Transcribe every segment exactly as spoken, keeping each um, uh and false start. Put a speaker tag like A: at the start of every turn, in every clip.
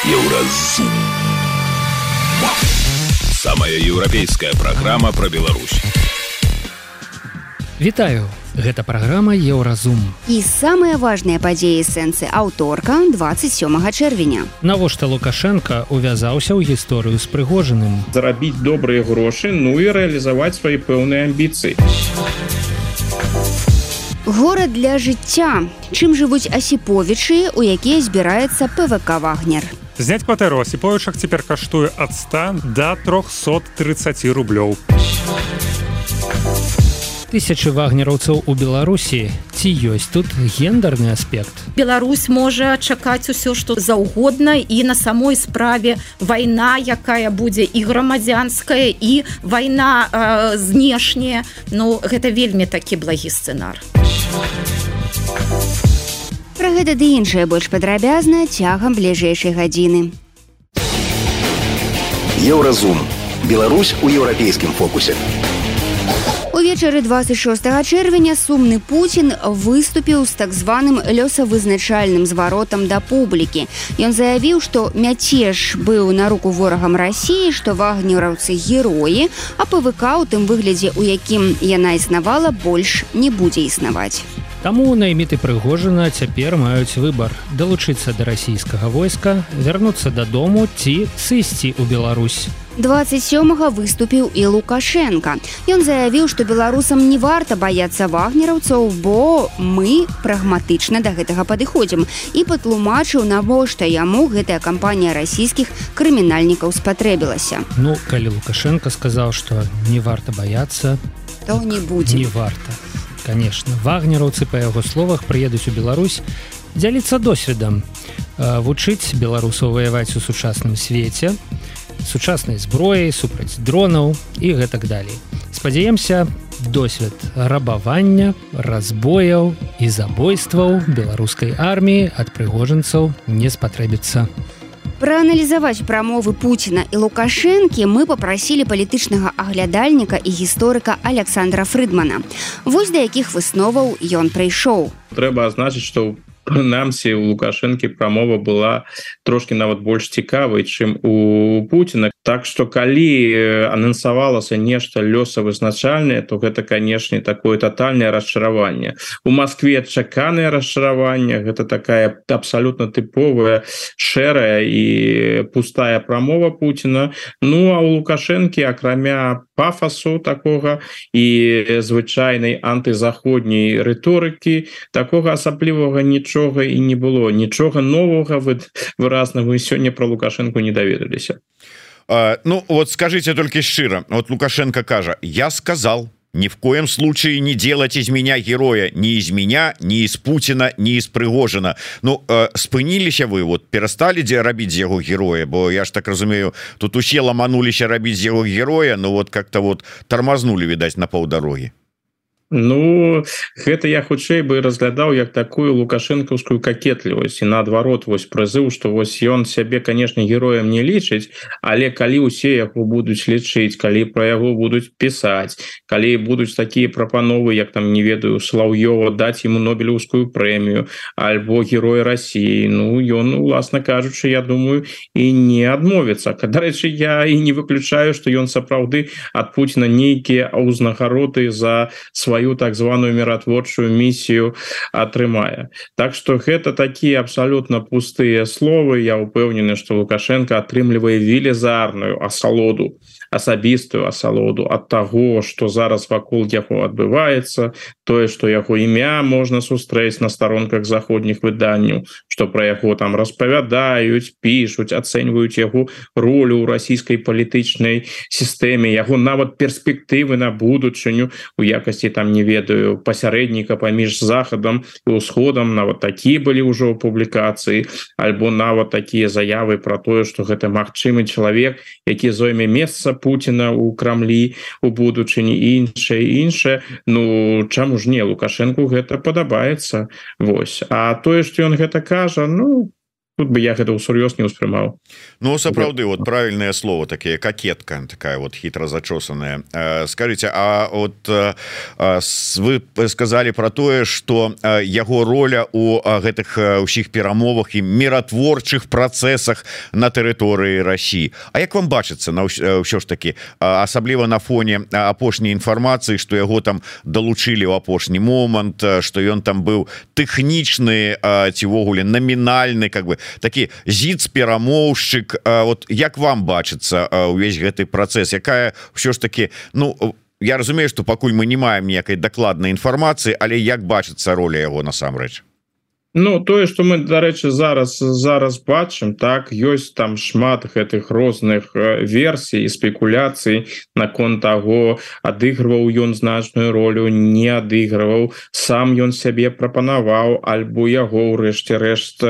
A: Еўразум. Самая еўрапейская праграма пра Беларусь.
B: Вітаю, гэта праграма Еўразум.
C: І самыя важныя падзеі сэнсы аўторка двадцать сёмага чэрвеня.
B: Навошта Лукашенко увязаўся ў гісторыю з Прыгожиным?
D: Зарабіць добрыя грошы, ну і рэалізаваць свае пэўныя амбіцыі.
C: Горад для жыцця. Чым жывуць асіповічы, у якія збіраецца ПВК «Вагнер».
E: Зняць кватэру асіповічах цяпер каштуе ад ста да трохсот трыццаці рублёў.
B: Тысячы вагнераўцаў у Беларусі. Ці ёсць тут гендерны аспект?
F: Беларусь можа чакаць усё, што заўгодна, і на самой справе вайна, якая будзе і грамадзянская, і вайна э, знешняя. Ну, гэта вельмі такі благі сцэнар.
C: Пра гэта ды іншае больш падрабязна цягам бліжэйшай гадзіны.
A: Еўразум. Беларусь у еўрапейскім фокусе.
C: Увечары двадцать шостага чэрвеня сумны Пуцін выступіў з так званым лёсавызначальным зваротам да публікі. Ён заявіў, што мяцеж быў на руку ворагам Расіі, што вагнераўцы героі, а ПВК у тым выглядзе, у якім яна існавала, больш не будзе існаваць.
B: Таму найміты Прыгожина цяпер маюць выбар: далучыцца да расійскага войска, вярнуцца дадому ці сысці ў Беларусь.
C: двадцать сёмага выступіў і Лукашенко. Ён заявіў, што беларусам не варта баяцца вагнераўцаў, бо мы прагматычна да гэтага падыходзім, і патлумачыў, навошта яму гэтая кампанія расійскіх крымінальнікаў спатрэбілася.
B: Ну, калі Лукашенко сказаў, што не варта баяцца,
C: то не будзе.
B: Не варта. Конечно, вагнераўцы, па яго словах, прыедуць у Беларусь дзяліцца досведам, вучыць беларусаў ваяваць у сучасным свеце, сучаснай зброяй, супраць дронаў і гэтак далей. Спадзяемся, досвед рабавання, разбояў і забойстваў беларускай арміі ад прыгожанцаў не спатрэбіцца.
C: Прааналізаваць прамовы Пуціна і Лукашэнкі мы папрасілі палітычнага аглядальніка і гісторыка Александра Фрыдмана. Вось да якіх высноваў ён прыйшоў.
D: Трэба азначыць, што прынамсі у Лукашэнкі прамова была трошкі нават больш цікавай, чым у Пуціна. Так што калі анансавалася нешта лёсавызначальнае, то гэта, канешне, такое тотальнае расчараванне. У Маскве чаканае расчараванне, гэта такая абсалютна тыповая, шэрая і пустая прамова Пуціна. Ну, а у Лукашэнкі, акрамя пафасу такога і звычайнай антызаходняй рыторыкі, такога асаблівага нічога і не было. Нічога новага выразна вы сёння пра Лукашэнку не даведаліся.
G: Uh, ну вот скажите только шчыра, вот Лукашенко кажа: я сказал, ни в коем случае не делать из меня героя, ни из меня, ни из Путина, ни из Прыгожина. Ну uh, спыніліся вы, вот перастали дзе рабіць з яго героя, бо я ж так разумею, тут усе ламануліся рабіць з яго героя, но вот как-то вот тормознули, видать, на паўдарогі.
D: Ну, гэта я хутчэй бы разглядаў як такую лукашэнкаўскую какетлівасць, і наадварот, вось прызыў, што вось ён сябе, канешне, героем не лічыць, але калі ўсе яго будуць лічыць, калі пра яго будуць пісаць, калі будуць такія прапановы, як там, не ведаю, Слаўёва даць ему Нобелеўскую прэмію альбо герой Расіі, ну, ён, уласна кажучы, я думаю, і не адмовіцца. Дарэчы, я і не выключаю, што ён сапраўды ад Пуціна нейкія ўзнагароды за сваю так званую міратворчую місію атрымае. Так што гэта такія абсалютна пустыя словы. Я упэўнены, што Лукашенко атрымлівае велізарную асалоду, асабістую асалоду ад таго, што зараз вакол яго адбываецца, тое, што яго імя можна сустрэць на старонках заходніх выданняў, што пра яго там распавядаюць, пішуць, ацэньваюць яго ролю ў расійскай палітычнай сістэме, яго нават перспектывы на будучыню у якасці там, не ведаю, пасярэдніка паміж захадам і ўсходам, нават такія былі ўжо публікацыі, альбо нават такія заявы пра тое, што гэта магчымы чалавек, які зойме месца Пуціна ў Крамлі у будучыні і іншае, іншае. Ну, чаму ж не, Лукашэнку гэта падабаецца. Вось. А тое, што ён гэта кажа, ну, тут бы я гэта ўсур'ёз не ўспрымаў.
G: Ну сапраўды вот правильное слово такие кокетка такая вот хитро зачесанная. Скажите, а вот вы сказали про тое, что яго роля у гэтых усіх перамовах і міратворчых працэсах на тэрыторыі России. А як вам бачыцца на ўсё ж таки, асабліва на фоне апошняй інфармацыі, что яго там долучили ў апошні момант, что ён там быў тэхнічны ці ввогуле номінальны, как бы такі зіц-перамоўшчык. Вот як вам бачыцца увесь гэты працэс, якая ўсё ж таки, ну я разумею, что пакуль мы не маем ніякай дакладнай інфармацыі, але як бачыцца роля яго насамрэч?
D: Ну тое, што мы, дарэчы, зараз зараз бачым, так, ёсць там шмат гэтых розных версій і спекуляцый наконт таго, адыгрываў ён значную ролю, не адыгрываў, сам ён сябе прапанаваў, альбо яго ўрэшце рэшт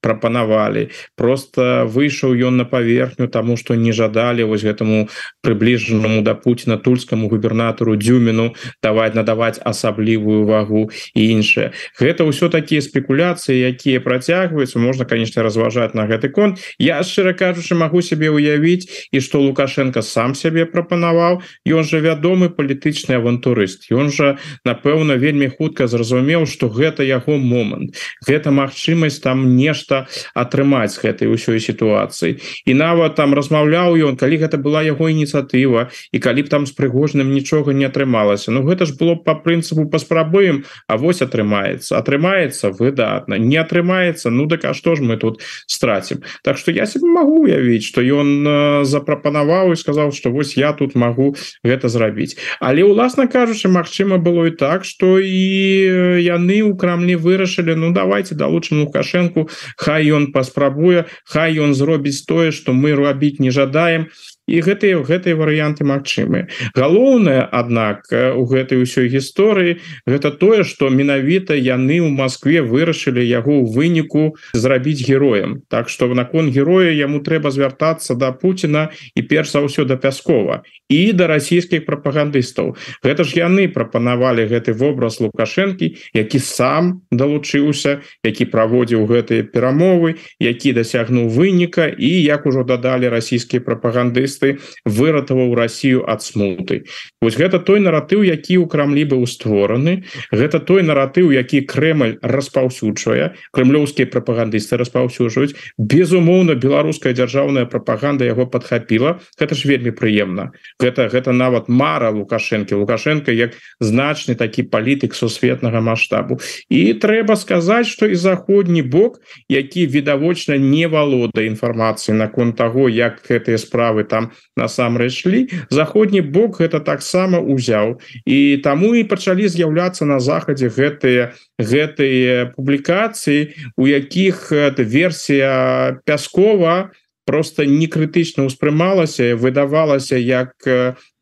D: прапанавалі. Просто выйшаў ён на паверхню, таму што не жадалі вось гэтаму прыбліжанаму да Пуціна тульскаму губернатару Дзюміну даваць надаваць асаблівую вагу і іншае. Гэта ўсё такія спекуляцыі, якія працягваюцца, можна, конечно, разважаць на гэты конт. Я, шчыра кажучы, магу сябе ўявіць, і што Лукашенко сам сябе прапанаваў. Ён жа вядомы палітычны авантурыст. Ён жа, напэўна, вельмі хутка зразумеў, што гэта яго момант. Гэта магчымасць там нешта атрымаць з гэтай усёй сітуацыі. І нават там размаўляў ён, калі гэта была яго ініцыятыва, і калі б там з Прыгожным нічога не атрымалася. Ну гэта ж было па прынцыпу паспрабуем, а вось атрымаецца. Атрымаецца выдатна. Не атрымаецца, ну так а што ж мы тут страцім? Так што я себе магу уявіць, што ён запрапанаваў і сказаў, што вось я тут магу гэта зрабіць. Але уласна кажучы, магчыма было і так, што і яны ў Крамлі вырашылі, ну давайте далучым Лукашенку, хай ён паспрабуе, хай ён зробіць тое, што мы рабіць не жадаем. І гэтыя гэтыя варыянты магчымыя. Галоўнае, аднак, у гэтай усёй гісторыі гэта тое, што менавіта яны ў Маскве вырашылі яго ў выніку зрабіць героем. Так што наконт героя яму трэба звяртацца да Пуціна і перш за ўсё да Пяскова і да расійскіх прапагандыстаў. Гэта ж яны прапанавалі гэты вобраз Лукашэнкі, які сам далучыўся, які праводзіў гэтыя перамовы, які дасягнуў выніка і, як ужо дадалі расійскія прапагандысты, выратаваў Россию ад смуты. Вось гэта той наратыў, які ў Крамлі быў створаны, гэта той наратыў, які Крэмль распаўсюджвае, крэмлёўскія прапагандысты распаўсюджваюць. Безумоўна, беларуская дзяржаўная прапаганда яго падхапіла. Гэта ж вельмі прыемна. Гэта гэта нават мара Лукашэнкі. Лукашенко як значны такі палітык сусветнага маштабу. І трэба сказаць, што і заходні бок, які відавочна не валодае інфармацыяй наконт таго, як гэтыя справы там насамрэч шлі, заходні бок гэта таксама ўзяў, і таму і пачалі з'яўляцца на захадзе гэтыя гэтыя публікацыі, у якіх версія Пяскова просто не крытычна ўспрымалася, выдавалася як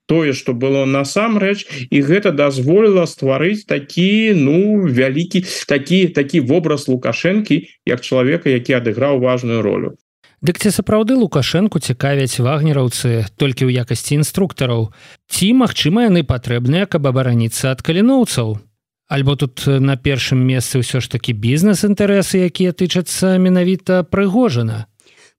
D: тое, што было насамрэч, і гэта дазволіла стварыць такі, ну, вялікі такі такі вобраз Лукашэнкі як чалавека, які адыграў важную ролю.
B: Дык ці сапраўды Лукашэнку цікавяць вагнераўцы толькі ў якасці інструктараў? Ці, магчыма, яны патрэбныя, каб абараніцца ад каліноўцаў? Альбо тут на першым месцы ўсё ж такі бізнес-інтарэсы, якія тычацца менавіта Прыгожина?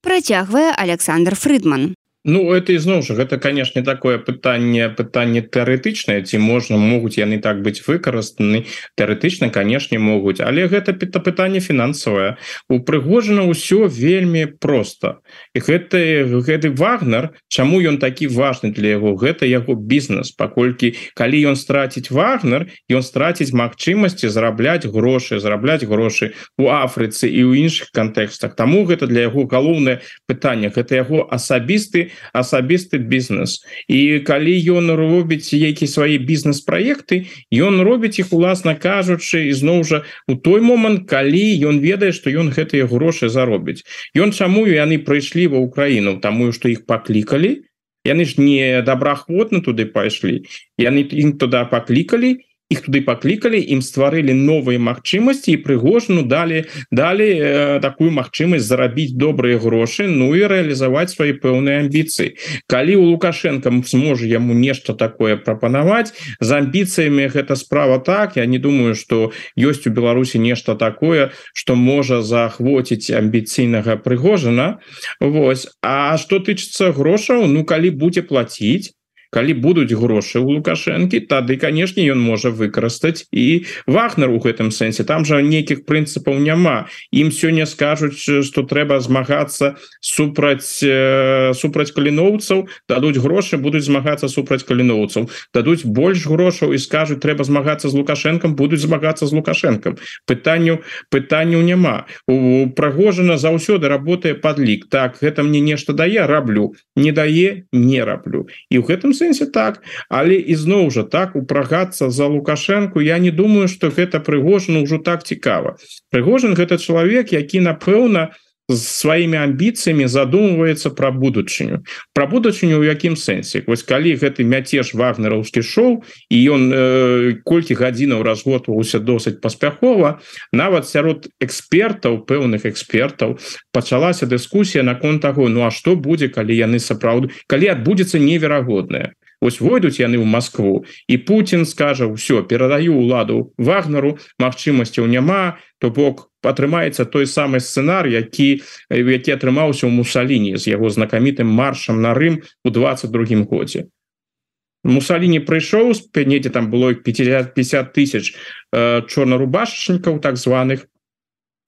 C: Працягвае Александр Фрыдман.
D: Ну, это ізноў жа, гэта, канешне, такое пытанне, пытанне тэарэтычнае, ці можна, могуць яны так быць выкарыстаны, тэарэтычна, канешне, могуць, але гэта пытанне фінансавае. У Прыгожина ўсё вельмі проста. І гэты, гэты Вагнер, чаму ён такі важны для яго? Гэта яго бізнес, паколькі, калі ён страціць Вагнер, ён страціць магчымасці зарабляць грошы, зарабляць грошы у Афрыцы і ў іншых кантэкстах. Таму гэта для яго галоўнае пытанне, гэта яго асабісты асабісты бізнес. І калі ён робіць які свае бізнес-праекты, ён робіць іх, уласна кажучы, ізноў жа у той момант, калі ён ведае, што ён гэтыя грошы заробіць. Ён чаму яны прыйшлі ва Ўкраіну? Таму што іх паклікалі. Яны ж не добраахвотна туды пайшлі. Яны ім туды паклікалі, іх туды паклікалі, ім стварылі новыя магчымасці і Прыгожыну далі далі э, такую магчымасць зарабіць добрыя грошы, ну і рэалізаваць свае пэўныя амбіцыі. Калі у Лукашенко зможа яму нешта такое прапанаваць, з амбіцыямі гэта справа так, я не думаю, што ёсць у Беларусі нешта такое, што можа заахвоціць амбіцыйнага Прыгожына. Вось. А што тычыцца грошаў, ну калі будзе плаціць, калі будуць грошы у Лукашэнкі, тады, канешне, ён можа выкарыстаць і Вагнер у гэтым сэнсе. Там жа нейкіх прынцыпаў няма. Ім сёння скажуць, што трэба змагацца супраць э, супраць каліноўцаў, дадуць грошы, будуць змагацца супраць каліноўцаў. Дадуць больш грошаў і скажуць, трэба змагацца з Лукашэнкам, будуць змагацца з Лукашэнкам. Пытанняў пытанняў няма. У Прыгожына заўсёды работае падлік. Так, гэта мне нешта дае, раблю. Не дае, не раблю. І ў гэтым сэнсе так, але ізноў жа так упрагацца за Лукашэнку, я не думаю, што гэта Прыгожыну ўжо так цікава. Прыгожын гэта чалавек, які напэўна з сваімі амбіцыямі задумваецца пра будучыню. Пра будучыню ў якім сэнсе? Вось калі гэты мяцеж вагнераўскі шоў і ён э, колькі гадзінаў разгортваўся досыць паспяхова, нават сярод экспертаў, пэўных экспертаў пачалася дыскусія наконт таго, ну а што будзе, калі яны сапраўды, калі адбудзецца неверагоднае. Вось войдуць яны ў Москву і Путін скажа, ўсё, перадаю ўладу Вагнеру, магчымасцяў няма, то бок атрымаецца той самы сцэнар, які, які атрымаўся ў Мусаліні з яго знакамітым маршам на Рым у двадцать другім годзе. Мусаліні прыйшоў, недзе там было пятьдесят тысяч э, чорнарубашчнікаў так званых,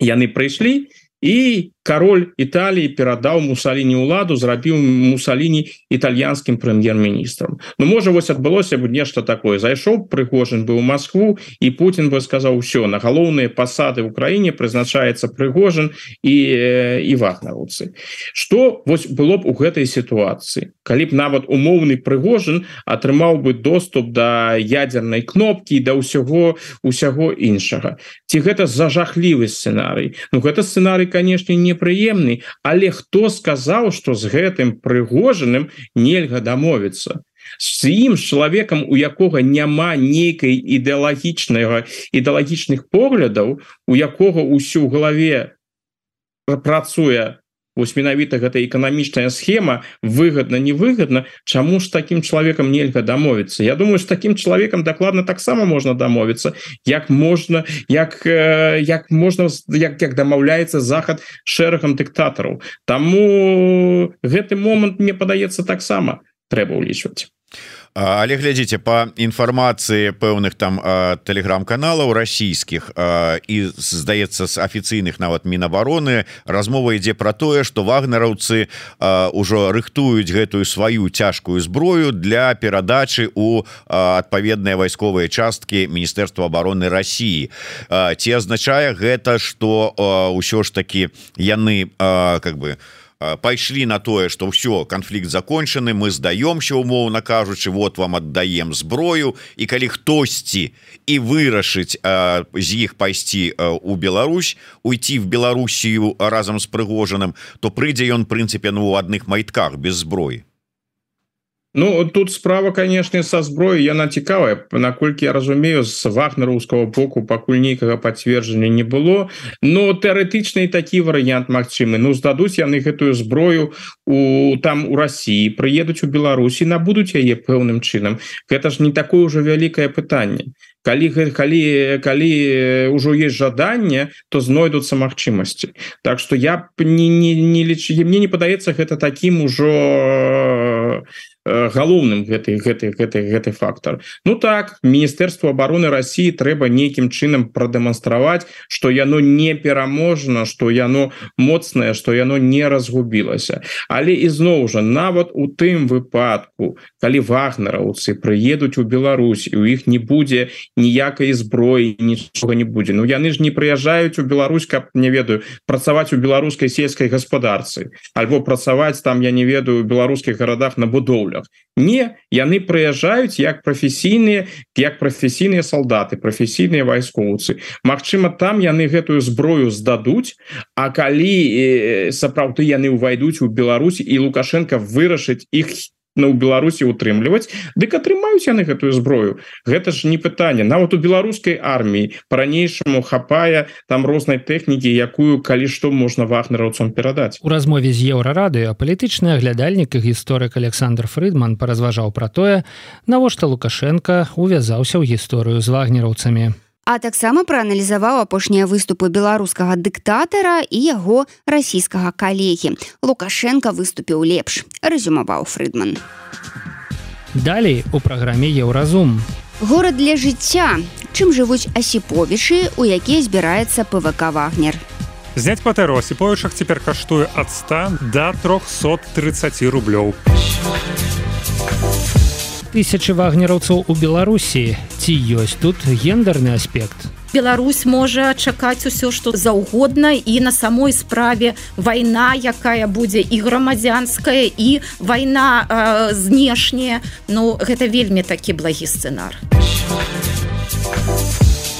D: яны прыйшлі, і кароль Італіі перадаў Мусаліні ўладу, зрабіў Мусаліні італьянскім прэм'ер-міністрам. Ну, можа, вось адбылося б нешта такое. Зайшоў Прыгожын быў у Москву, і Путін бы сказаў, усё, на галоўныя пасады ў краіне прызначаецца Прыгожын і, і вагнераўцы. Што вось было б у гэтай сітуацыі? Калі б нават умоўны Прыгожын атрымаў бы доступ да ядзернай кнопкі, да ўсяго, ўсяго іншага. Ці гэта зажахлівы сцэнарый? Ну, гэта сцэнарый, канешне, непрыемны, але хто сказаў, што з гэтым Прыгожыным нельга дамовіцца? З ім, з чалавекам, у якога няма нейкай ідэалагічнага ідэалагічных поглядаў, у якога ўсё ў галаве працуе вось менавіта гэта эканамічная схема, выгадна, невыгадна, чаму ж такім чалавекам нельга дамовіцца? Я думаю, з такім чалавекам дакладна таксама можна дамовіцца, як можна, як, як можна, як, як дамаўляецца Захад шэрагам дыктатараў. Таму гэты момант, мне падаецца, таксама трэба ўлічваць.
G: Але глядзіце, па інфармацыі пэўных там тэлеграм-каналаў расійскіх і, здаецца, з афіцыйных нават Мінабароны, размова ідзе пра тое, што вагнераўцы ўжо рыхтуюць гэтую сваю цяжкую зброю для перадачы ў адпаведныя вайсковыя часткі Міністэрства абароны Расіі. Ці азначае гэта, што ўсё ж такі яны как бы пайшлі на тое, што ўсё, канфлікт закончаны, мы здаёмся, умоўна кажучы, вот вам аддаем зброю, і калі хтосьці і вырашыць а, з іх пайсці а, у Беларусь, уйти в Беларусію разам з Прыгожаным, то прыйдзе ён, прынцыпе, ну, у адных майтках без зброі.
D: Ну, тут справа, конечно, со зброей, яна цікавая, наколькі я разумею, з вагнераўскага боку пакуль нейкага пацверджання не было, но тэарэтычны такі варыянт магчымы. Ну, здадуць яны гэтую зброю у, там у Расіі, прыедуць у Беларусі, набудуць яе пэўным чынам. Гэта ж не такое ўжо вялікае пытанне. Калі, калі, калі ўжо есть жаданне, то знойдуцца магчымасці. Так што я не, не, не лічу, мне не падаецца гэта такім ужо галоўным гэты, гэты, гэты, гэты фактор. Ну так, Міністэрству абароны Расіі трэба нейкім чынам прадэманстраваць, што яно не пераможна, што яно моцнае, што яно не разгубілася. Але ізноў жа, нават у тым выпадку, калі вагнераўцы прыедуць у Беларусь, і у іх не будзе ніякай зброі, нічога не будзе. Ну яны ж не прыязджаюць у Беларусь, каб, не ведаю, працаваць у беларускай сельскай гаспадарцы, альбо працаваць там, я не ведаю, у беларускіх гарадах на будоўлях. Не, яны прыязджаюць як прафесійныя, як прафесійныя салдаты, прафесійныя вайскоўцы. Магчыма, там яны гэтую зброю здадуць, а калі э, сапраўды яны ўвайдуць у Беларусь і Лукашенко вырашыць іх на ў Беларусі утрымліваць, дык атрымаюць яны гэтую зброю. Гэта ж не пытанне. Нават у беларускай арміі па-ранейшаму хапае там рознай тэхнікі, якую калі што можна вагнераўцам перадаць.
B: У размове з Еўрарадыё палітычны аглядальнік і гісторык Александр Фрыдман паразважаў пра тое, навошта Лукашенка увязаўся ў гісторыю з вагнераўцамі.
C: А таксама прааналізаваў апошнія выступы беларускага дыктатара і яго расійскага калегі. Лукашенка выступіў лепш, рэзюмаваў Фрыдман.
B: Далей у праграме Еўразум.
C: Горад для жыцця. Чым жывуць асіповічы, у якія збіраецца ПВК «Вагнер».
E: Зняць кватэру асіповічах цяпер каштуе ад ста да трохсот трыццаці рублёў.
B: Тысячы вагнераўцаў у Беларусі. Ці ёсць тут гендерны аспект?
F: Беларусь можа чакаць усё, што заўгодна, і на самой справе вайна, якая будзе і грамадзянская, і вайна э, знешняя. Ну, гэта вельмі такі благі сцэнар.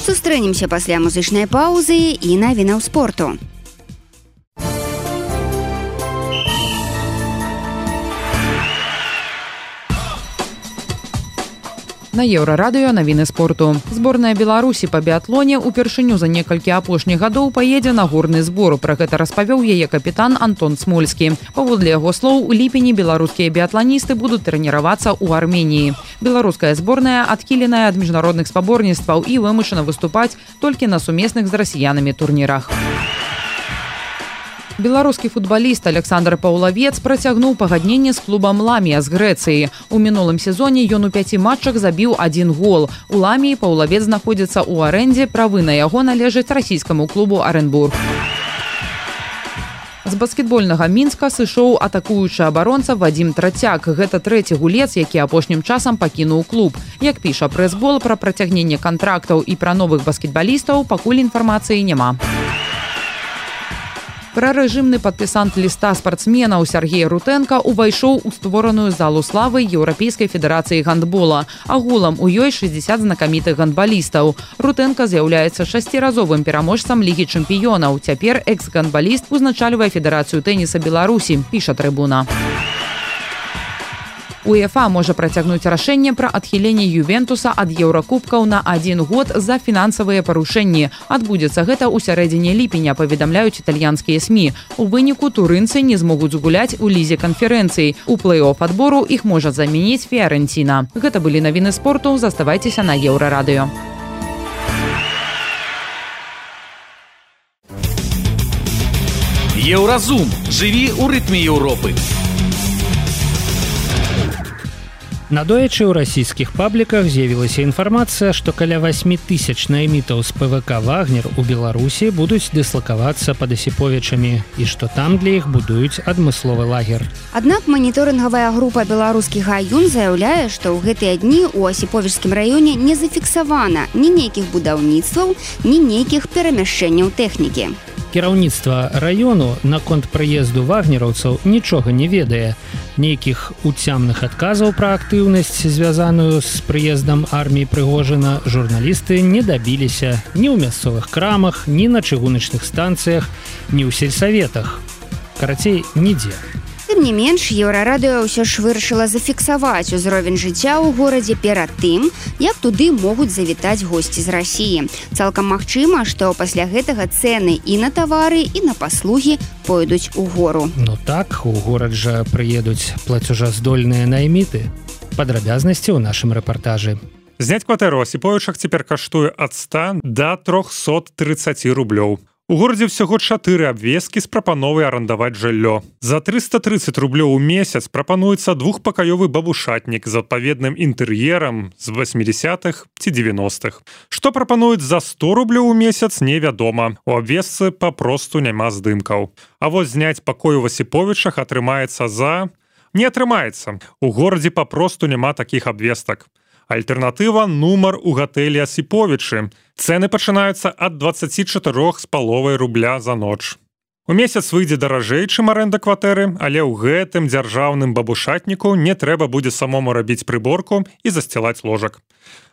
C: Сустрэнемся пасля музычнай паўзы і навінаў спорту.
H: На Еўрарадыё навіны спорту. Зборная Беларусі па біатлоне упершыню за некалькі апошніх гадоў паедзе на горны збор. Пра гэта распавёў яе капітан Антон Смольскі. Паводле яго слоў, у ліпені беларускія біатланісты будуць трэніравацца ў Арменіі. Беларуская зборная адхіленая ад міжнародных спаборніцтваў і вымушана выступаць толькі на сумесных з расіянамі турнірах. Беларускі футбаліст Александр Паўлавец працягнуў пагадненне з клубам «Ламія» з Грэцыі. У мінулым сезоне ён у пяці матчах забіў адзін гол. У «Ламіі» Паўлавец знаходзіцца ў арэндзе, правы на яго належаць расійскаму клубу «Аренбург». З баскетбольнага Мінска сышоў атакуючы абаронца Вадзім Трацяк. Гэта трэці гулец, які апошнім часам пакінуў клуб. Як піша прэс-бол, пра працягненне кантрактаў і пра новых баскетбалістаў пакуль інфармацыі няма. Прарэжымны падпісант ліста спартсменаў Сергей Рутэнка увайшоў у створаную залу славы Еўрапейскай федэрацыі гандбола. Агулам у ёй шэсцьдзесят знакамітых гандбалістаў. Рутэнка з'яўляецца шасціразовым пераможцам Лігі чэмпіёнаў. Цяпер экс-гандбаліст узначальвае Федэрацыю тэніса Беларусі, піша Трыбуна. УЕФА можа працягнуць рашэнне пра адхіленне Ювентуса ад еўракубкаў на адзін год за фінансавыя парушэнні. Адбудзецца гэта ў сярэдзіне ліпеня, паведамляюць італьянскія СМІ. У выніку турынцы не змогуць згуляць у лізе канферэнцыі. У плэй-оф адбору іх можа замяніць Фіарэнціна. Гэта былі навіны спорту. Заставайцеся на Еўрарадыё.
I: Еўразум. Жыві ў рытме Еўропы.
B: Надоечы ў расійскіх пабліках з'явілася інфармацыя, што каля васьмі тысяч наймітаў з ПВК «Вагнер» у Беларусі будуць дыслакавацца пад асіповічамі і што там для іх будуюць адмысловы лагер.
C: Аднак маніторынгавая група «Беларускі гаюн» заяўляе, што ў гэтыя дні ў асіповічскім раёне не зафіксавана ні нейкіх будаўніцтваў, ні нейкіх перамяшчэнняў тэхнікі.
B: Кіраўніцтва раёну наконт прыезду вагнераўцаў нічога не ведае. Нейкіх уцямных адказаў пра актыўнасць, звязаную з прыездам арміі Прыгожына, журналісты не дабіліся ні ў мясцовых крамах, ні на чыгуначных станцыях, ні ў сельсаветах. Карацей, нідзе.
C: Тым не менш, Еўрарадыё ўсё ж вырашыла зафіксаваць узровень жыцця ў горадзе перад тым, як туды могуць завітаць госці з Расіі. Цалкам магчыма, што пасля гэтага цэны і на тавары, і на паслугі пойдуць у гору.
B: Ну так, у горад жа прыедуць плацежаздольныя найміты. Падрабязнасці ў нашым рэпартажы.
E: Зняць кватэру асіповічах цяпер каштуе ад ста да трохсот трыццаці рублёў. У горадзе ўсяго чатыры абвесткі з прапановай арандаваць жыллё. За трыста трыццаць рублёў у месяц прапануецца двухпакаёвы бабушатнік з адпаведным інтэр'ерам з васьмідзесятых ці дзевяностых. Што прапануюць за сто рублёў у месяц, невядома. У абвестцы папросту няма здымкаў. А вось зняць пакой у Асіповічах атрымаецца за... Не атрымаецца. У горадзе папросту няма такіх абвестак. Альтэрнатыва – нумар у гатэлі Асіповічы. Цэны пачынаюцца ад дваццаці чатырох з паловай рубля за ноч. У месяц выйдзе даражэй, чым арэнда кватэры, але ў гэтым дзяржаўным бабушатніку не трэба будзе самому рабіць прыборку і засцілаць ложак.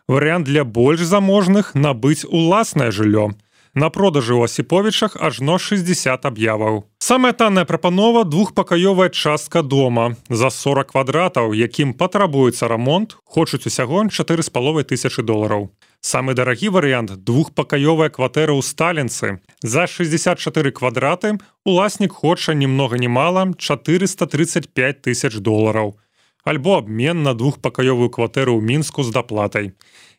E: Варыянт для больш заможных – набыць уласнае жыллё. На продажы ў Асіповічах ажно шэсцьдзесят аб'яваў. Самая танная прапанова двухпакаёвая частка дома за сорок квадратаў, якім патрабуецца рамонт, хочуць усяго чатыры з паловай тысячы долараў. Самы дарагі варыянт двухпакаёвая кватэра ў Сталінцы. За шэсцьдзесят чатыры квадраты уласнік хоча ні многа ні мала чатырыста трыццаць пяць тысяч долараў. Альбо абмен на двухпакаёвую кватэру ў Мінску з даплатай.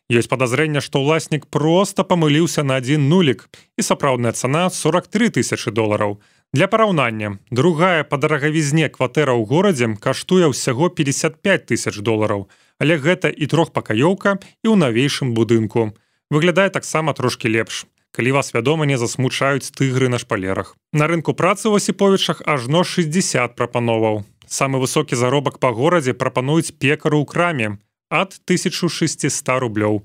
E: Ёсць падазрэнне, што ўласнік проста памыліўся на адзін нулік і сапраўдная цана сорок тры тысячы долараў. Для параўнання, другая па дарагавізне кватэра ў горадзе каштуе ўсяго пятьдесят пять тысяч долараў, але гэта і трохпакаёўка і ў навейшым будынку. Выглядае таксама трошкі лепш, калі вас, вядома, не засмучаюць тыгры на шпалерах. На рынку працы ў Асіповічах ажно шэсцьдзесят прапановаў. Самы высокі заробак па горадзе прапануюць пекару ў краме ад тысяча шэсцьсот рублёў.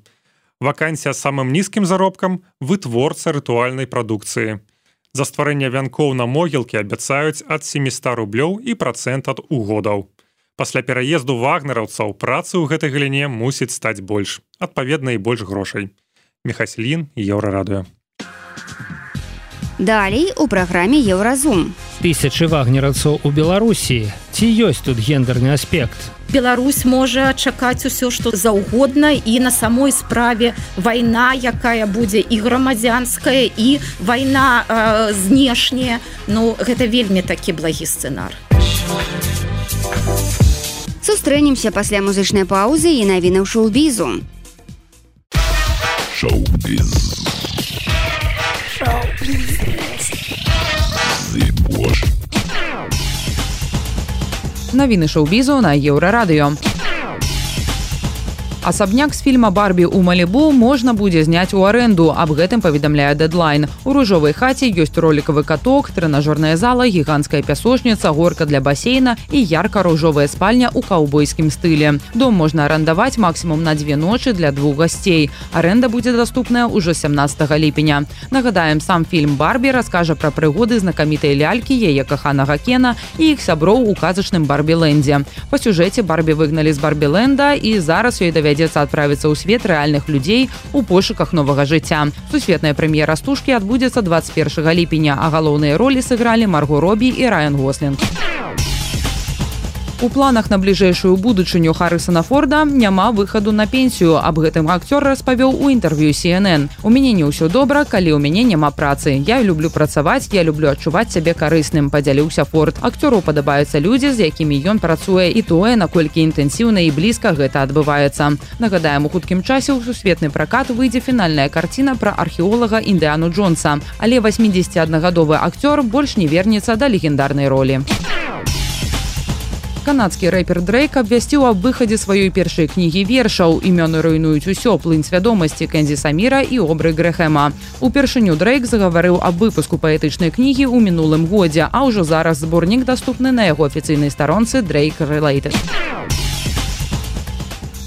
E: Вакансія з самым нізкім заробкам – вытворца рытуальнай прадукцыі. За стварэнне вянкоў на могілкі абяцаюць ад сямісот рублёў і працэнт ад угодаў. Пасля пераезду вагнераўцаў працы ў гэтай галіне мусіць стаць больш, адпаведна і больш грошай. Михасілін, Еўрарадыё.
C: Далей у праграме Еўразум.
B: Тысячы вагнераўцаў у Беларусі. Ці ёсць тут гендерны аспект?
F: Беларусь можа чакаць усё, што заўгодна, і на самой справе вайна, якая будзе і грамадзянская, і вайна э, знешняя. Ну, гэта вельмі такі благі сцэнар.
C: Сустрэнемся пасля музычнай паўзы і навіны ў шоу-бізу.
J: Шоу-біз. Шоу-біз.
H: Навіны шоу-бізу на Еўрарадыё. Асабняк з фільма «Барбі» ў Малібу можна будзе зняць у арэнду. Аб гэтым паведамляе Дэдлайн. У ружовай хаце ёсць ролікавы каток, трэнажорная зала, гіганцкая пясочніца, горка для басейна і ярка-ружовая спальня ў каўбойскім стылі. Дом можна арандаваць максімум на дзве ночы для двух гасцей. Арэнда будзе даступная ўжо сямнаццатага ліпеня. Нагадаем, сам фільм «Барбі» раскажа пра прыгоды знакамітай лялькі, яе каханага Кена і іх сяброў у казачным Барбі-лэндзе. Па сюжэце Барбі выгналі з Барбі-лэнда, і зараз ёй давядзецца давядзецца адправіцца ў свет рэальных людзей у пошуках новага жыцця. Сусветная прэм'ера стужкі адбудзецца дваццаць першага ліпеня, а галоўныя ролі сыгралі Марго Робі і Райан Гослінг. У планах на бліжэйшую будучыню Харрысона Форда няма выхаду на пенсію. Аб гэтым акцёр распавёў у інтэрв'ю Си Эн Эн. У мяне не ўсё добра, калі ў мяне няма працы. Я люблю працаваць, я люблю адчуваць сябе карысным, падзяліўся Форд. Акцёру падабаюцца людзі, з якімі ён працуе, і тое, наколькі інтэнсіўна і блізка гэта адбываецца. Нагадаем, у хуткім часе ў сусветны пракат выйдзе фінальная карціна пра археолага Індыану Джонса. Але васьмідзесяціаднагадовы акцёр больш не вернецца да легендарнай ролі. Канадскі рэпер Дрейк абвясціў аб выхадзе сваёй першай кнігі вершаў «Імёны руйнуюць усё. Плынь свядомасці» Кензі Саміра і Обры Грэхэма. Упершыню Дрейк загаварыў аб выпуску паэтычнай кнігі ў мінулым годзе, а ўжо зараз зборнік даступны на яго афіцыйнай старонцы Drake Related.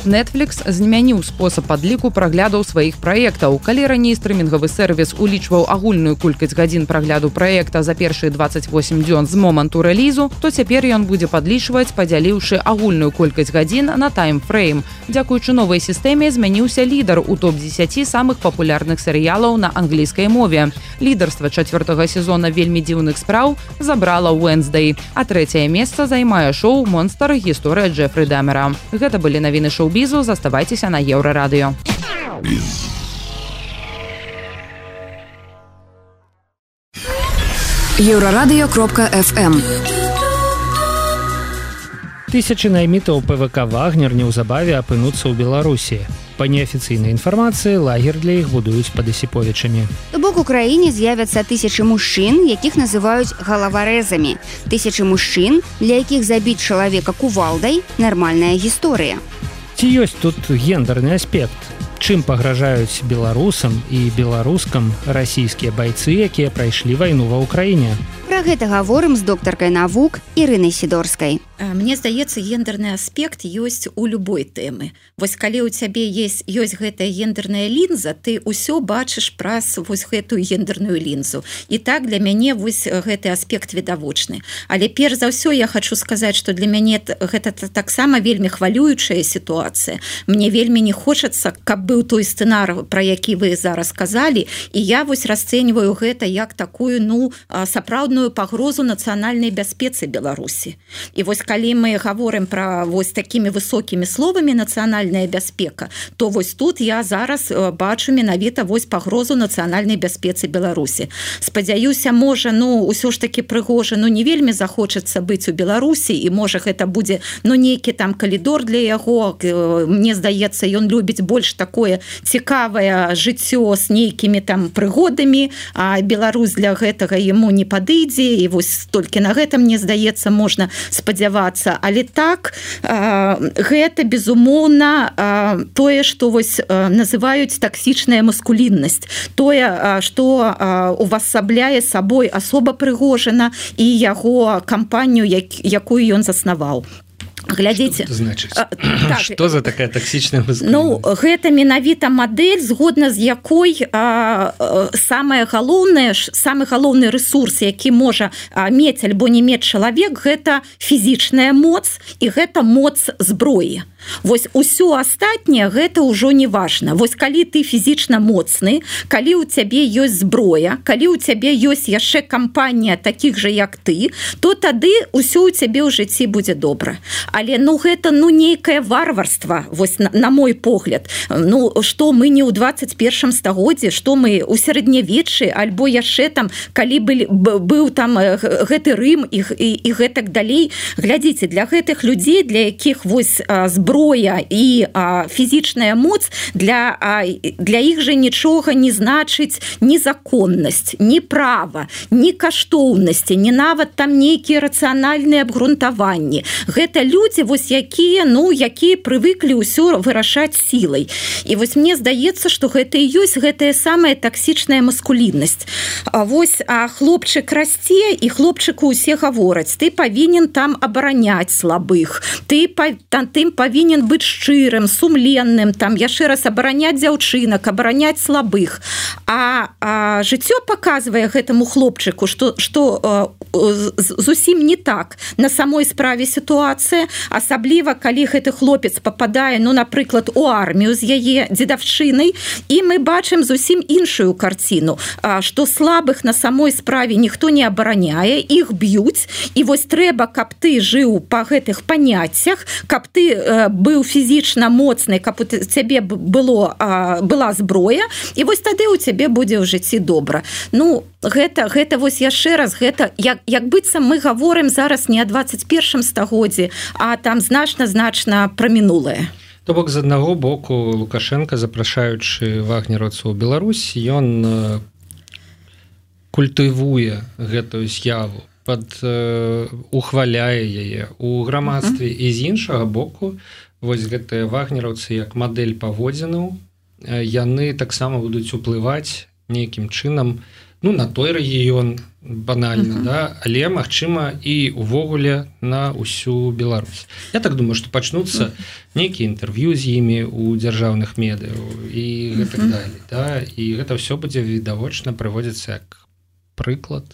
H: Netflix змяніў спосаб падліку праглядаў сваіх праектаў. Калі раней стрымінгавы сервіс улічваў агульную колькасць гадзін прагляду праекта за першыя дваццаць восем дзён з моманту рэлізу, то цяпер ён будзе падлічваць, падзяліўшы агульную колькасць гадзін на таймфрейм. Дзякуючы новай сістэме змяніўся лідар у топ дзесяці самых папулярных серыялаў на англійскай мове. Лідарства чацвёртага сезона «Вельмі дзіўных спраў» забрала Wednesday, а трэцяе месца займае шоу «Монстр. Гісторыя Джефры Дамера». Гэта былі навіны шоу Бізу, заставайцеся на Еўрарадыё.
K: Еўрарадыё кропка эф эм.
B: Тысячы наймітаў Пэ Вэ Ка «Вагнер» неўзабаве апынуцца ў Беларусі. Па неафіцыйнай інфармацыі, лагер для іх будуюць пад Асіповічамі.
C: То бок у краіне з'явяцца тысячы мужчын, якіх называюць галаварэзамі. Тысячы мужчын, для якіх забіць чалавека кувалдай – нармальная гісторыя.
B: Ці ёсць тут гендерны аспект? Чым пагражаюць беларусам і беларускам расійскія байцы, якія прайшлі вайну ва ўкраіне?
C: Пра Пра гэта гаворым з доктаркай навук Ірынай Сідорскай.
F: Мне здаецца, гендерны аспект ёсць у любой тэмы. Вось калі ў цябе есть, ёсць гэтая гендерная лінза, ты ўсё бачыш праз вось гэтую гендерную лінзу. І так для мяне вось гэты аспект відавочны. Але перш за ўсё я хочу сказаць, што для мяне гэта таксама вельмі хвалюючая сітуацыя. Мне вельмі не хочацца, каб быў той сцэнар, пра які вы зараз сказалі, і я вось расцэньваю гэта як такую, ну, сапраўдную пагрозу нацыянальнай бяспецы Беларусі. І вось калі мы гаворым пра вось такімі высокімі словамі нацыянальная бяспека, то вось тут я зараз бачу менавіта вось пагрозу нацыянальнай бяспецы Беларусі. Спадзяюся, можа, ну, усё ж такі Прыгожа, ну, не вельмі захочацца быць у Беларусі, і можа гэта будзе, ну, нейкі там калідор для яго. Мне здаецца, ён любіць больш такое цікавае жыццё з нейкімі там прыгодамі, а Беларусь для гэтага яму не падыдзе, і вось толькі на гэта, мне здаецца, можна спадзявацца. Але так, гэта, безумоўна, тое, што вось называюць таксічная маскуліннасць. Тое, што увасабляе сабой асоба Прыгожина і яго кампанію, якую ён заснаваў. Глядзіце,
B: что значит? А, так, что за такая токсичная маскуліннасць?
F: Ну, гэта менавіта мадэль, згодна з якой а, самае галоўнае, самы галоўны рэсурс, які можа а, мець альбо не мець чалавек, гэта фізічная моц і гэта моц зброі. Вось усё астатняе гэта ўжо не важна. Вось калі ты фізічна моцны, калі ў цябе ёсць зброя, калі ў цябе ёсць яшчэ кампанія такіх жа як ты, то тады ўсё ў цябе ў жыцці будзе добра. Але ну гэта ну нейкае варварства, вось на, на мой погляд. Ну што мы не ў двадцать першым стагоддзі, што мы ў сярэднявеччы, альбо яшчэ там, калі былі, быў там гэты Рым і, і, і гэтак далей. Глядзіце, для гэтых людзей, для якіх вось зброя і а, фізічная моц, для, а, для іх жа нічога не значыць ні законнасць, ні права, ні каштоўнасці, ні нават там нейкія рацыянальныя абгрунтаванні. Гэта людзі, вось якія, ну, якія прывыклі ўсё вырашаць сілай. І вось мне здаецца, што гэта і ёсць гэтая самая таксічная маскуліннасць. А вось а хлопчык расце, і хлопчыку ўсе гавораць, ты павінен там абараняць слабых, ты там, ты павінен быць шчырым, сумленным, там яшчэ раз абараняць дзяўчынак, абараняць слабых. А, а жыццё паказвае гэтаму хлопчыку, што, што а, зусім не так на самой справе сітуацыя, асабліва калі гэты хлопец пападае, ну, напрыклад, у армію з яе дзедаўшчынай, і мы бачым зусім іншую карціну, а, што слабых на самой справе ніхто не абараняе, іх б'юць, і вось трэба, каб ты жыў па гэтых паняццях, каб ты а, быў фізічна моцны, каб у цябе было, а, была зброя, і вось тады у цябе будзе ў жыцці добра. Ну, гэта, гэта вось яшчэ раз, гэта, як, як быццам мы гаворым зараз не о двадцать першым стагоддзі, а там значна-значна пра мінулае.
B: То бок, з аднаго боку, Лукашенко, запрашаючы вагнераўцаў у Беларусь, ён культывуе гэтую з'яву, пад, э, ухваляе яе у грамадстве, і з іншага боку, вось гэтыя вагнераўцы як мадэль паводзінаў, яны таксама будуць уплываць нейкім чынам, ну, на той рэгіён банальна, uh-huh. да, але, магчыма, і увогуле на ўсю Беларусь. Я так думаю, што пачнуцца uh-huh. нейкія інтэрв'ю з імі ў дзяржаўных медыяў і uh-huh. гэтак далей, да, і гэта ўсё будзе відавочна прыводзіцца як прыклад,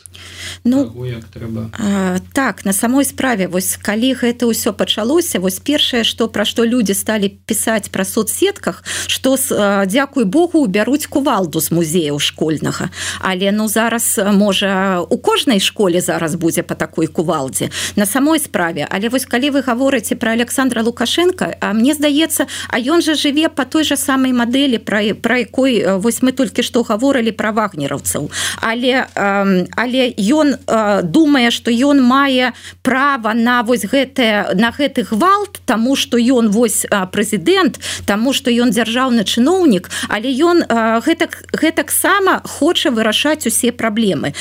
F: ну,
B: таго, як трэба.
F: А, так, на самой справе, вось калі гэта ўсё пачалося, вось першае, што пра што людзі сталі пісаць пра соцсетках, што а, дзякуй Богу, бяруць кувалду з музеяў школьнага. Але ну зараз можа у кожнай школе зараз будзе па такой кувалдзе на самой справе. Але вось калі вы гаворыце пра Александра Лукашенка, а мне здаецца, а ён жа жыве па той жа самай мадэлі, пра, пра якой вось мы толькі што гаворылі пра вагнераўцаў. Але але ён думае, што ён мае права на вось гэтае, на гэты гвалт, таму што ён вось прэзідэнт, таму што ён дзяржаўны чыноўнік, але ён гэтак, гэтак сама хоча вырашаць усе праблемы.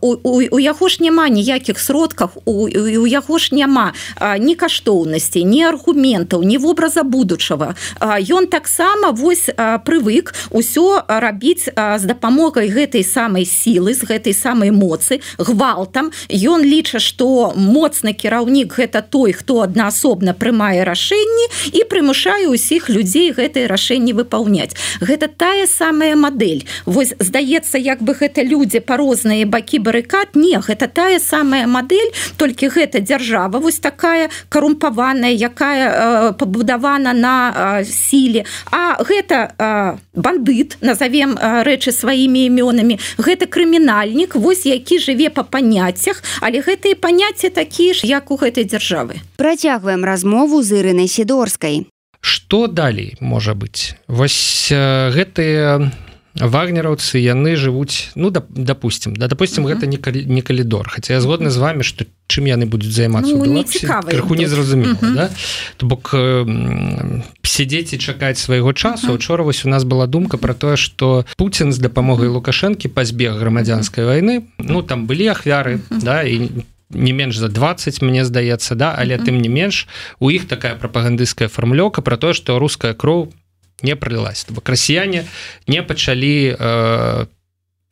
F: У, у, у яго ж няма ніякіх сродках, у, у яго ж няма ні каштоўнасцей, ні аргументаў, ні вобраза будучага. Ён таксама вось прывык усё рабіць з дапамогай гэтай самай сілы, з гэтай гэтай самай моцы гвалтам. Ён ліча, што моцны кіраўнік гэта той, хто аднаасобна прымае рашэнні і прымушае ўсіх людзей гэтыя рашэнні выпаўняць. Гэта тая самая мадэль. Вось здаецца, як бы гэта людзі па розныя бакі барыкад. Не, гэта тая самая мадэль, толькі гэта дзяржава вось такая карумпаваная, якая э, пабудавана на э, сіле. А гэта э, бандыт, назовем э, рэчы сваімі імёнамі, гэта крымінальнік, вось які жыве па паняццях, але гэтыя паняцці такія ж, як у гэтай дзяржавы.
C: Працягваем размову з Ірынай Сідорскай.
B: Што далей можа быць? Вось э, гэтыя вагнераўцы, яны жывуць, ну, да, допустим, да, допустим, uh-huh. гэта не, кали, не калідор, хаця я згодны uh-huh. з вами, што чым яны будуць займацца
F: ну,
B: ў Беларусі, крыху незразумела, uh-huh. да? То бок э, сядзець і чакаць свайго часу. Учора uh-huh. вось у нас была думка пра тое, што Пуцін з дапамогай Лукашэнкі пазбег грамадзянскай uh-huh. вайны, ну, там былі ахвяры, uh-huh. да, і не менш за двадцать, мне здаецца, да, але uh-huh. тым не менш, у іх такая прапагандысцкая фармулёўка пра тое, што руская кроў не пролилась. То бок расіяне не пачалі э,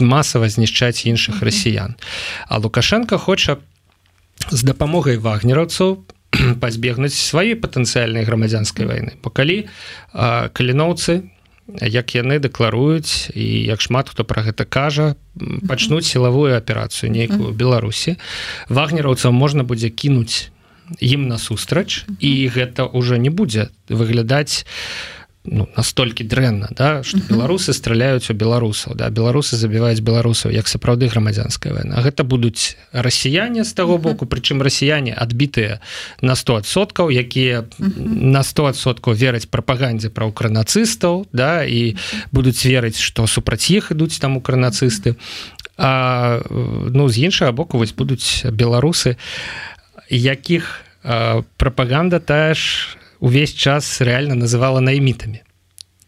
B: масава знішчаць іншых расіян. А Лукашенко хоча з дапамогай вагнераўцаў пазбегнуць сваёй патэнцыяльнай грамадзянскай вайны. Бо калі э, каліноўцы, як яны дэкларуюць і як шмат хто пра гэта кажа, пачнуць сілавую аперацыю нейкую ў Беларусі, вагнераўцам можна будзе кінуць ім насустрач, і гэта ўжо не будзе выглядаць ну, настолькі дрэнна, да, што беларусы страляюць у беларусаў, да, беларусы забіваюць беларусаў, як сапраўды грамадзянская вайна. А гэта будуць расіяне з таго боку, прычым расіяне адбітыя на сто адсоткаў, якія на сто адсоткаў вераць прапагандзе пра укранацыстаў, да, і будуць верыць, што супраць іх ідуць там укранацысты. А ну, з іншага боку вось будуць беларусы, якіх а, прапаганда тая ж увесь час реально называла наймітамі.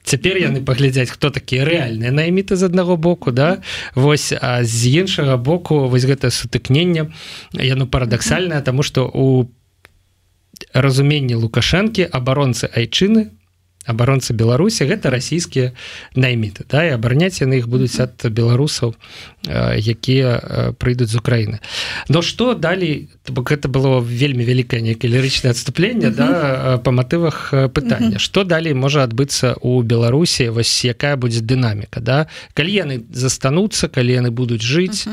B: Цяпер яны паглядзяць, хто такія рэальныя найміты з аднаго боку, да? Вось, а з іншага боку вось гэтае сутыкненне, яно парадаксальнае, таму што у разуменні Лукашэнкі абаронцы айчыны, абаронцы Беларусі гэта расійскія найміты, да, і абараняць яны іх будуць ад беларусаў, якія прыйдуць з Украіны. Но што далей, бок гэта было вельмі вялікае нейкае лірычнае адступленне, да, па матывах пытання. Што далей можа адбыцца ў Беларусі, вось якая будзе дынаміка, да? Калі яны застануцца, калі яны будуць жыць,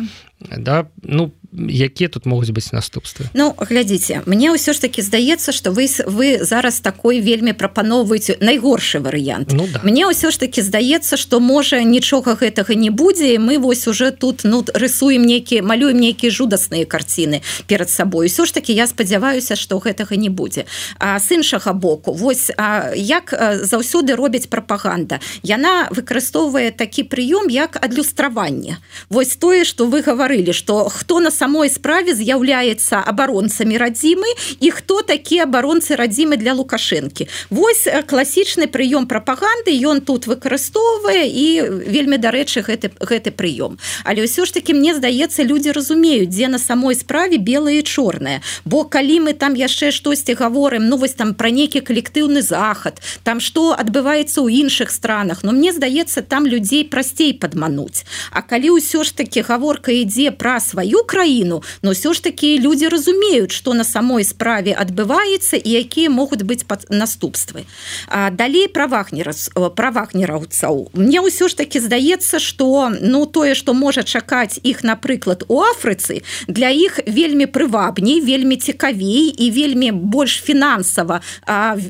B: да, ну, якія тут могуць быць наступствы?
F: Ну, глядзіце, мне ўсё ж таки здаецца, што вы, вы зараз такой вельмі прапаноўваеце найгоршы варыянт.
B: Ну, да.
F: Мне ўсё ж таки здаецца, што можа нічога гэтага не будзе, і мы вось уже тут ну, рысуем нейкі, малюем нейкія жудасныя карціны перад сабой. Усё ж таки я спадзяваюся, што гэтага не будзе. А з іншага боку, вось а, як заўсёды робіць прапаганда? Яна выкарыстоўвае такі прыём, як адлюстраванне. Вось тое, што вы гаварылі, што хто на самой справе з'яўляецца абаронцамі радзімы і хто такія абаронцы радзімы для Лукашэнкі. Вось класічны прыём прапаганды, ён тут выкарыстоўвае і вельмі дарэчы гэты, гэты прыём. Але ўсё ж таки мне здаецца, людзі разумеюць, дзе на самой справе белае і чорнае. Бо калі мы там яшчэ штосьці гаворым, ну вось там пра нейкі калектыўны захад, там што адбываецца ў іншых странах, но мне здаецца, там людзей прасцей падмануць. А калі ўсё ж таки гаворка ідзе пра сваю краіну, но ўсё ж такі людзі разумеюць, што на самой справе адбываецца і якія могуць быць наступствы. А далей пра вагнераўцаў. Мне ўсё ж такі здаецца, што ну тое, што можа чакаць іх, напрыклад, у Афрыцы, для іх вельмі прывабней, вельмі цікавей і вельмі больш фінансава,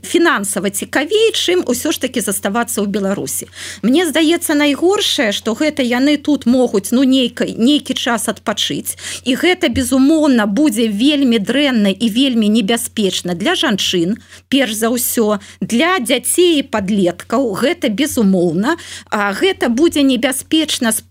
F: фінансава цікавей, чым ўсё ж такі заставацца ў Беларусі. Мне здаецца, найгоршае, што гэта яны тут могуць ну нейкі, нейкі час адпачыць, і гэта, безумоўна, будзе вельмі дрэнна і вельмі небяспечна для жанчын, перш за ўсё, для дзяцей і падлеткаў, гэта безумоўна, а гэта будзе небяспечна з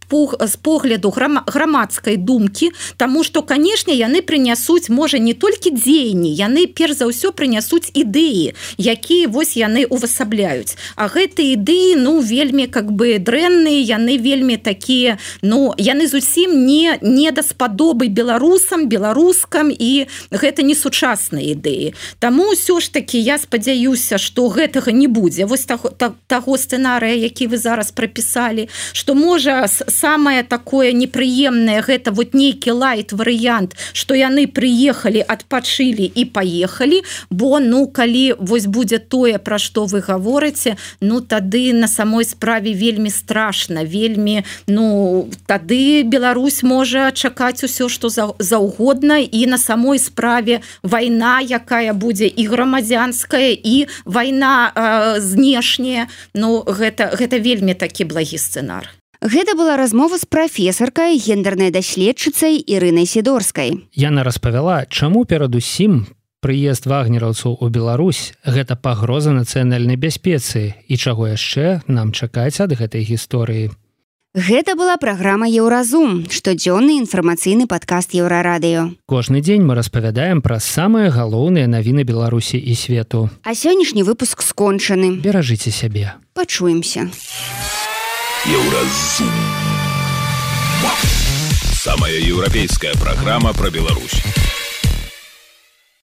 F: погляду грамадскай думкі, таму што, канешне, яны прынясуць, можа, не толькі дзеянні, яны, перш за ўсё, прынясуць ідэі, якія вось яны увасабляюць. А гэтыя ідэі, ну, вельмі, как бы, дрэнныя, яны вельмі такія, ну, яны зусім не, не даспадобы беларусам, беларускам, і гэта не сучасныя ідэі. Таму ўсё ж такі я спадзяюся, што гэтага не будзе. Вось таго, таго сцэнарыя, які вы зараз прапісалі, што можа самое такое непрыемнае гэта вот нейкі лайт варыянт, што яны прыехалі, адпачылі і паехалі, бо ну калі вось будзе тое, пра што вы гаворыце, ну тады на самой справе вельмі страшна, вельмі, ну тады Беларусь можа чакаць усё, што за, заўгодна, і на самой справе вайна, якая будзе і грамадзянская, і вайна э, знешняя, ну гэта, гэта вельмі такі благі сцэнар.
C: Гэта была размова з прафесаркай, гендернай даследчыцай Ірынай Сідорскай.
B: Яна распавяла, чаму перадусім прыезд вагнераўцаў у Беларусь гэта пагроза нацыянальнай бяспецы і чаго яшчэ нам чакаць ад гэтай гісторыі.
C: Гэта была праграма «Еўразум», штодзённы інфармацыйны падкаст Еўрарадыё.
B: Кожны дзень мы распавядаем пра самыя галоўныя навіны Беларусі і свету.
C: А сённяшні выпуск скончаны.
B: Беражыце сябе.
C: Пачуемся.
J: Еўразум. Самая еўрапейская праграма пра Беларусь.